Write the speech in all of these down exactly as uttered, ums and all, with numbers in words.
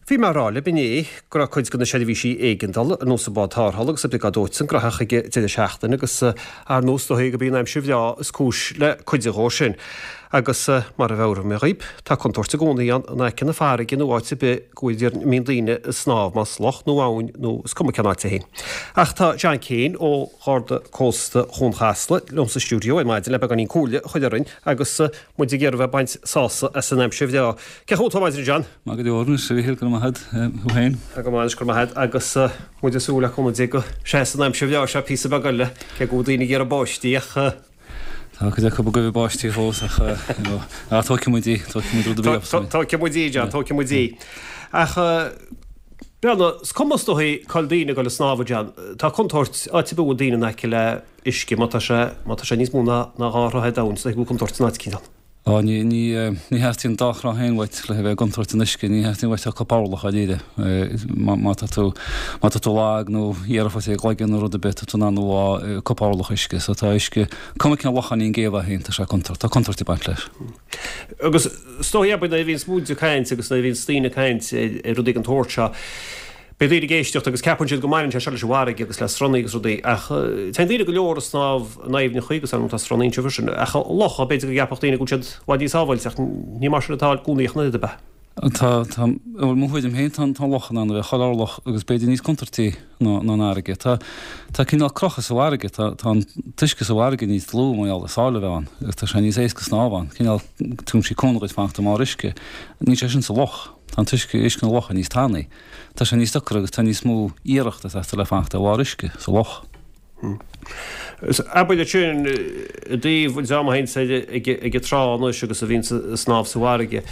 Bhí mé ag rá libh inné go raibh cuid de na seirbhísí éigeandála ar nós an bád tarrthála agus an briogáid dóiteáin gnóthach ag an deireadh seachtaine agus ar nós is dóigh gurb í an aimsir bhreá is cúis le cuid dhó sin. Agus mar a mheabhraigh mé dhaoib, tá contúirt i gcónaí ann in aice na farraige nó áit ar bith go bhfuil mbíonn daoine ag snámh, más loch nó abhainn nó is cuma cén áit é féin. Ach tá John Keane ó Gharda Cósta Chuan Chasla liom sa stiúideo ar maidin le beagáinín comhairle a chur orainn agus muid ag iarraidh bheith ag baint sásamh as an aimsir bhreá. Cén chaoi a bhfuil tú ar maidin, John? Maith go leor anois, a Mhíchíl, go raibh maith agat, thú féin? Tá go maith anois, go raibh maith agat, agus muid ag súil le cúnamh Dé go seasfaidh an aimsir bhreá seo píosa beag eile, cé go bhfuil daoine ag iarraidh báistí ach. Tá cuid acu ag goimh báistí fós ach ach tógfaidh muid í, tógfaidh muid rud ar bith acu. Tógfaidh muid í, John, tógfaidh muid í. Ach breathnaigh, is cuma is dóigh cá bhfuil daoine ag dul ag snámh, John, tá contúirt áit ar bith a bhfuil daoine in aice le uisce, má tá sé, má tá sé níos mó ná ná dhá throigh domhain, is dóigh go bhfuil contúirt san áit eicínt ann. Á, ní, ní, ní theastaíonn dá throigh féin uait le bheith i gcontúirt san uisce, ní theastaíonn uait ach corp orlach dáiríre. Má, má tá tú, má tá tú lag nó dhéarfá i gcloigeann nó rud ar bith, tá tú in ann a bhá corp orlach uisce. So tá uisce, cuma cén locháinín géabha é féin, tá sé contúirt, tá contúirt ag baint leis. Agus is dóigh, abair, nuair a bhíonns muid ag caint agus nuair a bhíonns daoine ag caint ar, ar rudaí den tsórt seo, Beidh daoine ag éisteacht agus ceapann siad go mbaineann sé seo leis an bhfarraige agus le sruthanna agus rudaí ach téann daoine go leor ag snámh in aibhneacha agus ar ndóigh tá sruthanna ansin freisin ach locha, b'fhéidir go gceapfadh daoine go bhfuil siad i bhfad níos sábháilte ach ní mar sin atá i gcónaí ach an oiread, ab ea? Tá, tá, bhuel mo thuairim féin tá an tá an loch in ann a bheith chuile orlach agus b'fhéidir níos contúirtí ná ná an fharraige. Tá, tá cineál crochadh sa bhfarraige, tá, tá an t-uisce sa bhfarraige níos dlúth mar gheall ar sáile a bheith ann agus tá sé níos éasca snámh ann, cineál tugann sí cúnamh dhuit fanacht i mbarr uisce. Níl sé sin sa loch. Tá an t-uisce, uisce na locha níos tanaí. Tá sé níos deacra agus tá níos mó iarracht ag teastáil le fanacht ar bharr uisce sa loch. Abair ansin i dtaobh an dream a théanns ag ag an trá anois agus a bhíonns ag snámh sa bhfarraige.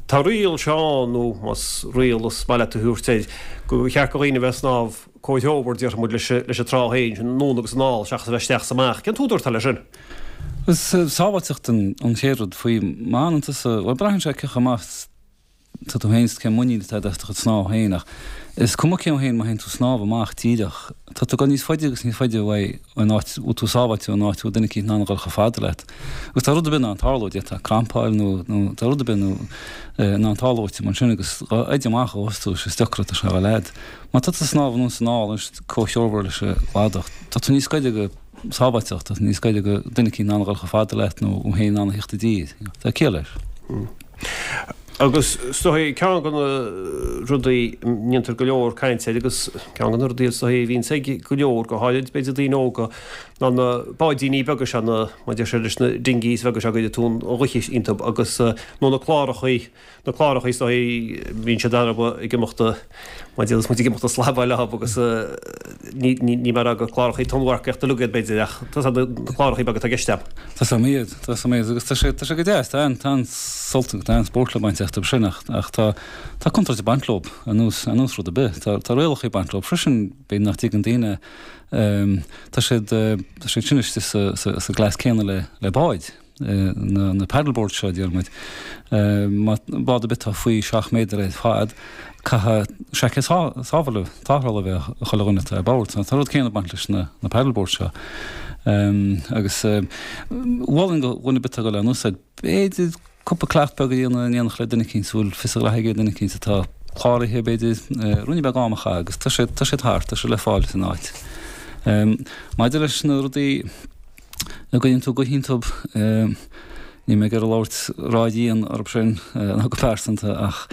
Tá riail seo ann, nó más riail is maith leat a thabhairt air, gur cheart do dhaoine a bheith ag snámh comhthreomhar, déarfaidh muid, leis leis an trá féin, sin anonn agus anall, seachas a bheith isteach is amach. Cén t-údar atá leis sin? Is sábháilteacht an chéad rud faoi. Má fhanann tusa, bhuel braitheann sé cé chomh maith tá tú féin is cén muinín atá agat as do chuid snámh féin ach is cuma cén féin má théann tú snámh amach díreach tá tú ag dul níos faide agus níos faide uaidh an áit a bhfuil tú sábháilte ón áit a bhfuil duine eicínt in ann a dhul chomh fada leat. Agus tá rud ar bith in ann tarlú, d'fhéadfá crampa a fháil nó nó tá rud ar bith nó in ann tarlú duit mar sin agus dhá fhaide amach ó thús tú is deacra atá sé a dhul fhad. Má tá tú ag snámh anonn is anall anois comhthreomhar leis an gcladach tá tú níos gaire go sábháilteacht, tá tú níos gaire go duine eicínt in ann a dhul chomh fada leat nó thú féin in ann a theacht i dtír. Tá ciall leis. Agus is dóigh, ceann de na rudaí a ndéantar go leor cainte air agus ceann de na rudaí is dóigh a bhíonns ag go leor, go háirid b'fhéidir daoine óga, ná na báidíní beaga seo, na, mar a deir siad leis, na dinghies beaga seo go gcuireann tú an ghaoth iontu agus, nó na clárachaí, na clárachaí is dóigh, bíonn siad arb ag imeacht, mar a déarfas muid ag imeacht ag slabáil leo agus ní, ní, ní mar gur clárachaí tonnmharcaíochta uilig iad b'fhéidir ach tá na clárachaí beaga atá i gceist agam. Tá a fhios agam iad, tá a fhios agam iad agus tá sé, tá sé go deas, tá an, tá an sult agus tá an spórt le baint astu sin ach, ach tá, tá contúirt ag baint leo ar nós, ar nós rud ar bith. Tá, tá rialacha ag baint leo freisin, b'fhéidir nach dtuigeann daoine, tá siad, tá siad sin istigh sa, sa, sa gclass céanna le, le báid, na, na paddleboards seo, deir muid. Má, bád ar bith atá faoi seacht méadar ar fad, caithfidh seaicéad sábhála, tarrthála a bheith ag chuile dhuine atá ar bord. Tá an rud céanna ag baint leis na, na paddleboards seo. Agus mholfainn do dhuine ar bith atá ag dul á n-úsáid, b'fhéidir cúpla cleacht beag a dhéanamh in éineacht le duine eicínt a bhfuil fios a ghraithe aige, duine eicínt atá cláraithe, b'fhéidir, ruainne beag ama a chaitheamh agus tá sé, tá siad thart, tá sé le fáil san áit. Maidir leis na rudaí a gcuireann tú gaoth iontu, níl mé ag iarraidh labhairt ródhian orthu sin ná go pearsanta ach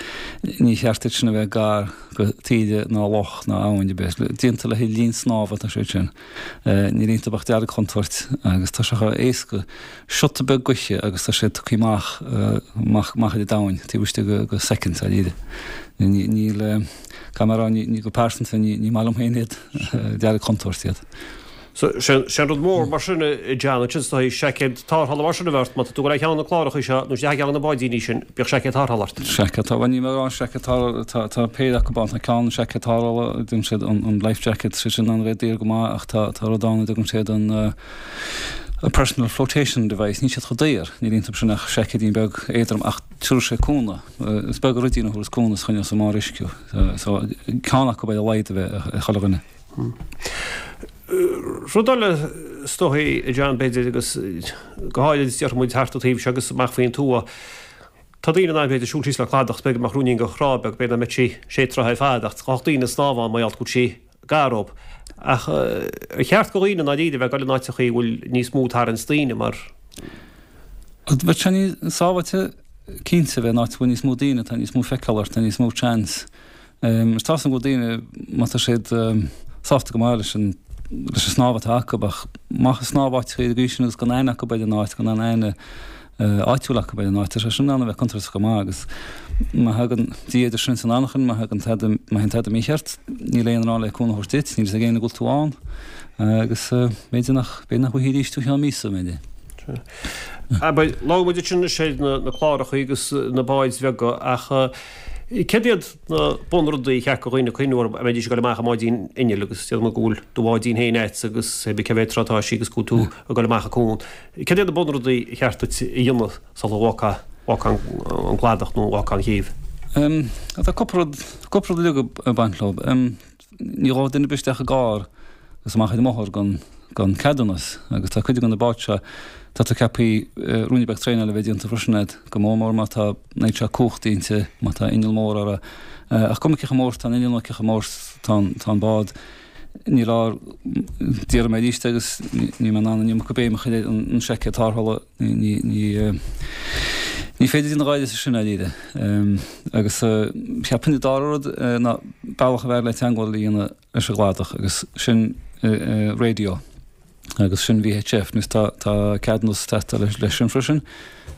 ní cheart iad sin a bheith gar go taoide ná loch ná abhainn ar bith. Déanta le haghaidh linn snámha atá siad sin. Níl iontu ach deargchontúirt agus tá sé chomh éasca siota beag gaoithe agus tá sé tugtha amach amach amach ar an domhain taobh istigh de de soicind dáiríre. Níl, caithfidh mé a rá, ní go pearsanta ní ní maith liom féin iad, deargchontúirt iad. So, sé an rud mór mar sin a John, ansin is dóigh, seaicéad tarrthála mar sin a bheith ort, má tá tú ag dul ar cheann de na clárachaí seo nó isteach i gceann de na báidíní sin, bíodh seaicéad tarrthála ort. Seaicéad tarrthála, bhuel níl mé ag rá seaicéad tarrthála, tá, tá péire acu ann, tá ceann seaicéad tarrthála, a dtugann siad an, an life jacket, sé sin an bheith daor go maith ach tá, tá rud ann a dtugann siad an eh, personal flotation device, níl siad chomh daor, níl iontu sin ach seaicéidín beag éadrom ach tabharfaidh sé cúnamh, is beag an ruidín a thabharfas cúnamh is choinneos i mbarr uisce thú. So, ceann acu ar a laghad a bheith ag chuile dhuine. Rud eile is dóigh, a John, b'fhéidir, agus go háirid déarfaidh muid thart an taobh seo agus amach faoin tuath, Tá daoine in ann b'fhéidir siúl síos le cladach, b'fhéidir go mbeadh ruainnín de thrá beag, b'fhéidir nach mbeadh sí sé troithe ar fad ach gach daoine ag snámh ann mar gheall go bhfuil sí gar dóibh. Ach ar cheart do dhaoine i ndáiríre bheith ag dul in áiteachaí a bhfuil níos mó tarraingt daoine mar. Bheadh sé níos sábháilte cinnte bheith in áit a bhfuil níos mó daoine, tá níos mó feiceáil ort, tá níos mó chance. Is tá a fhios agam go bhfuil daoine má tá siad sásta go maith leis an leis an snámh atá acu ach amach ag snámh áiteachaí ar an gcaoi sin agus gan aithne acu ar an áit, gan aon aithne áitiúil acu ar an áit. Tá sé sin in ann a bheith contúirteach go maith agus má thagann Dia idir sinn is an anachain, má thagann tada, má théann tada mícheart, níl éinne ann le cúnamh a thabhairt duit, níl fhios ag éinne go bhfuil tú ann agus b'fhéidir nach, b'fhéidir nach bhfaighfí arís tú cheann míosa, b'fhéidir. Abair, labhair muid ansin anois ar na clárachaí agus na báid bheaga ach céard iad na bunrudaí a cheart do dhaoine cuimhniú orthu a mbeidís ag dul amach i mbáidín innill agus déarfaidh muid go bhfuil do bháidín féin agat agus cé bith cé mhéad troigh atá sí agus go bhfuil tú ag dul amach an cuan. Céard iad na bunrudaí a cheart duit a dhéanamh sula bhfágfá an cladach nó bhfágfá an chéibh? Tá cúpla rud, cúpla rud uilig ag baint leo. Ní ghabhfaidh duine ar bith isteach i gcarr agus amach ar an mbóthar gan gan ceadúnas agus tá cuid de na báid seo, tá tú ceaptha ruainne beag traenála a bheith déanta freisin agat, go mór mór má tá an oiread seo cumhachta inti, má tá inneall mór uirthi. Ach cuma cé chomh mór is tá an inneall nó cé chomh mór is tá an bád, ní leor, déarfaidh mé arís agus níl mé in ann an iomarca béim a chur ar an seaicéad tarrthála, ní, ní, ní féidir déanamh áirithe sin dáiríre. Agus cheapfainn an dara rud ná bealach ab fhearr le teagmháil a dhéanamh leis an gcladach agus sin radio agus sin V H F. Anois tá tá ceadúnas ag teastáil leis sin freisin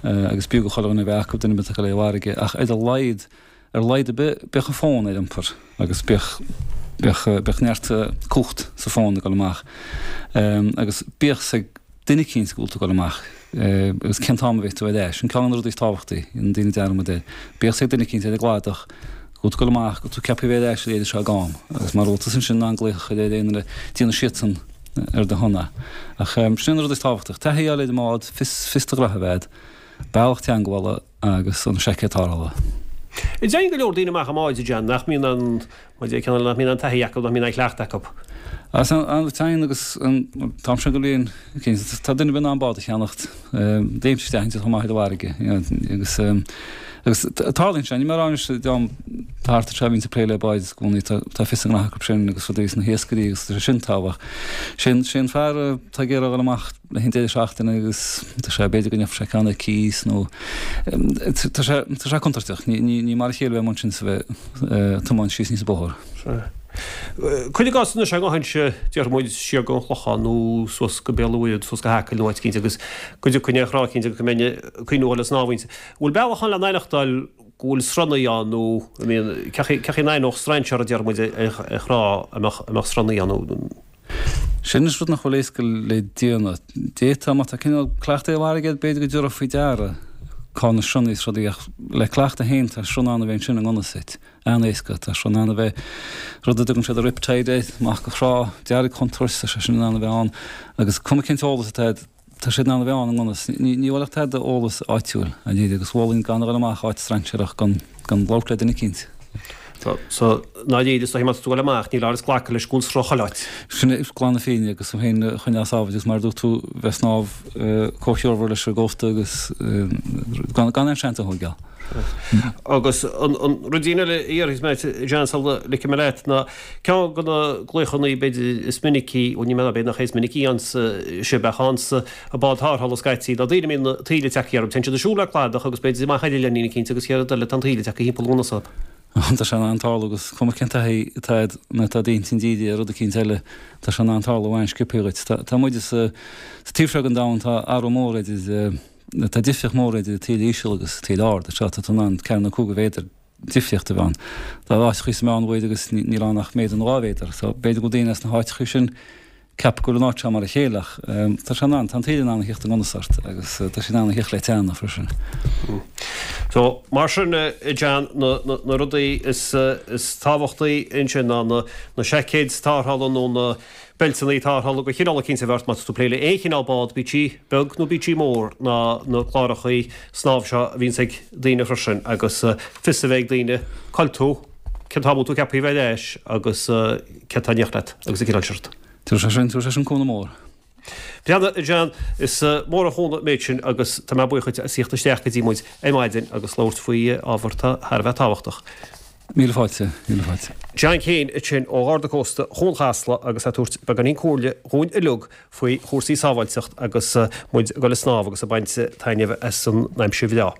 agus b'fhiú do chuile dhuine a bheith acu, duine ar bith atá ag dul ar an bhfarraige, ach ar a laghad ar a laghad ar bith bíodh an fón ar iompar agus bíodh bíodh bíodh neart cumhacht sa fón ag dul amach agus bíodh 's ag duine eicínt go bhfuil tú ag dul amach agus cén t-am a bheidh tú ar ais. Sin ceann de na rudaí is tábhachtaí, an daoine dearmad air. Bíodh 's ag duine eicínt ar an gcladach go bhfuil tú ag dul amach, go bhfuil tú ceaptha a bheith ar ais ar an oiread seo d'am agus mara bhfuil tusa ansin in ann glaoch a chur ar aon duine, déanfaidh siadsan ar do shon é. Ach sin an rud is tábhachtach, taithí a fháil ar an mbád, fios fios do ghraithe a bheith agat, bealach teagmhála agus an seaicéad tarrthála. Téann go leor daoine amach i mbáid, a John, nach mbíonn an, mar a deir ceann eile, nach mbíonn an taithí acu, nach mbíonn an cleachtadh acu. Is an téann agus an t-am sin den bhliain, cinnte, tá duine ar bith in ann bád a cheannacht, léimt isteach inti chomh maith ar an bhfarraige, agus agus tarlaíonn sé, níl mé ag rá anois dream thart anseo a bhíonns ag plé le báid i gcónaí, tá tá fios a ngraithe acu sin agus rudaí sna hiascairí agus tá sé sin tábhachtach. Sé an sé an fear atá ag iarraidh a dhul amach le haghaidh an deireadh seachtaine agus tá sé b'fhéidir go ngeobhaidh sé ceann ar cíos nó tá sé tá sé contúirteach, ní ní ní mar a chéile bheith amuigh ansin is a bheith ag tiomáint síos aníos an bóthar. Cuir i gcás anois ag gabháil déarfaidh muid siar go an Chlochán nó suas go Béal an Mhuirthead, suas go hAcaill nó áit eicínt agus go dtiocfainn ar thrá eicínt agus go mbeinn ag cuimhniú a dhul ag snámh inti. Bhfuil bealach ann le n-aithneachtáil go bhfuil sruthannaí ann nó I mean cén chaoi cén chaoi a n-aithneodh strainséir a déarfaidh muid ar thrá a mbeadh a mbeadh sruthannaí ann nó Sin is rud nach bhfuil éasca le déanamh. D'fhéadfá má tá cineál cleachtadh ar an bhfarraige agat b'fhéidir go dtabharfá faoi deara cá na sruthannaí is rudaí ach le cleachtadh féin tá sruth in ann a bheith ansin i ngan fhios duit. An-éasca. Tá sruth in ann a bheith, rud a dtugann siad riptide air, amach go thrá, deargchontúirt, tá sé sin in ann a bheith ann agus cuma cén t-eolas atá agat, tá sé in ann a bheith ann i ngan fhios. Ní ní bhfuil ach tada eolas áitiúil, dáiríre, agus mholfainn gan a dhul amach áit strainséarach gan gan labhairt le duine eicínt. So so dáiríre is dóichí má tá tú ag dul amach ní leor is glacadh leis go bhfuil sruth chuile áit. Sin é glan na fírinne agus tú féin a choinneáil sábháilte agus mar a dúirt tú bheith ag snámh comhthreomhar leis an gcósta agus gan gan aon seans a thógáil. Agus an ruidín eile a iarrfas mé ort, John, sula ligfidh mé leat, ná ceann de na glaochannaí b'fhéidir is minicí, bhuel ní mé b'fhéidir nach é is minicí ann sibh ach ann sa bád tarrthála scaití, ná daoine a mbíonn taoille tagtha orthu. Téann siad ag siúl le cladach agus b'fhéidir amach ar oileáinín eicínt agus chéad rud eile tá an taoille tagtha thimpeall i ngan fhios dóibh. Tá sé in ann tarlú agus cuma cén taithí atá agat nó tá d'intinn dírithe ar rud eicínt eile, tá sé in ann tarlú an-sciobtha dhuit. Tá muide sa taobh seo den domhan, tá athrú mór idir Tá difríocht mhór idir taoille íseal agus taoille ard. Anseo tá tú in ann ceathair nó cúig mhéadar difríocht a bheith ann. Tá áiteachaí sa Meánmhuir agus níl ann ach méadar nó dhá mhéadar. So b'fhéidir go bhfuil daoine as na háiteachaí sin ceaptha go bhfuil an áit seo mar a chéile ach tá sé in ann, tá an taoille in ann a thíocht i ngan fhios ort agus tá sé in ann a thíocht le teannadh freisin. So mar sin a John, na na rudaí is is tábhachtaí ansin ná na na seaicéid tarrthála nó na beilteanna tarrthála de chineál eicínt a bheith ort má tá tú ag plé le aon chineál bád, bíodh sí beag nó bíodh sí mór, ná na clárachaí snámh seo a bhíonns ag daoine freisin agus fios a bheith ag daoine cá bhfuil tú, cén t-am a bhfuil tú ceaptha a bheith ar ais agus céard atá in éineacht leat agus an cineál sin rud. Tabharfaidh sé sin, tabharfaidh sé sin cúnamh mór. Breathnaigh, a John, is mór an chúnamh an méid sin agus tá mé buíoch duit as theacht isteach go dtí muid ar maidin agus labhairt faoi ábhar atá thar a bheith tábhachtach. Míle fáilte, míle fáilte. John Keane ansin ó Gharda Cósta Chuan Chasla agus é ag tabhairt beagáinín comhairle dhúinn uilig faoi chúrsaí sábháilteacht agus muid ag dul ag snámh agus ag baint taitneamh as an aimsir bhreá.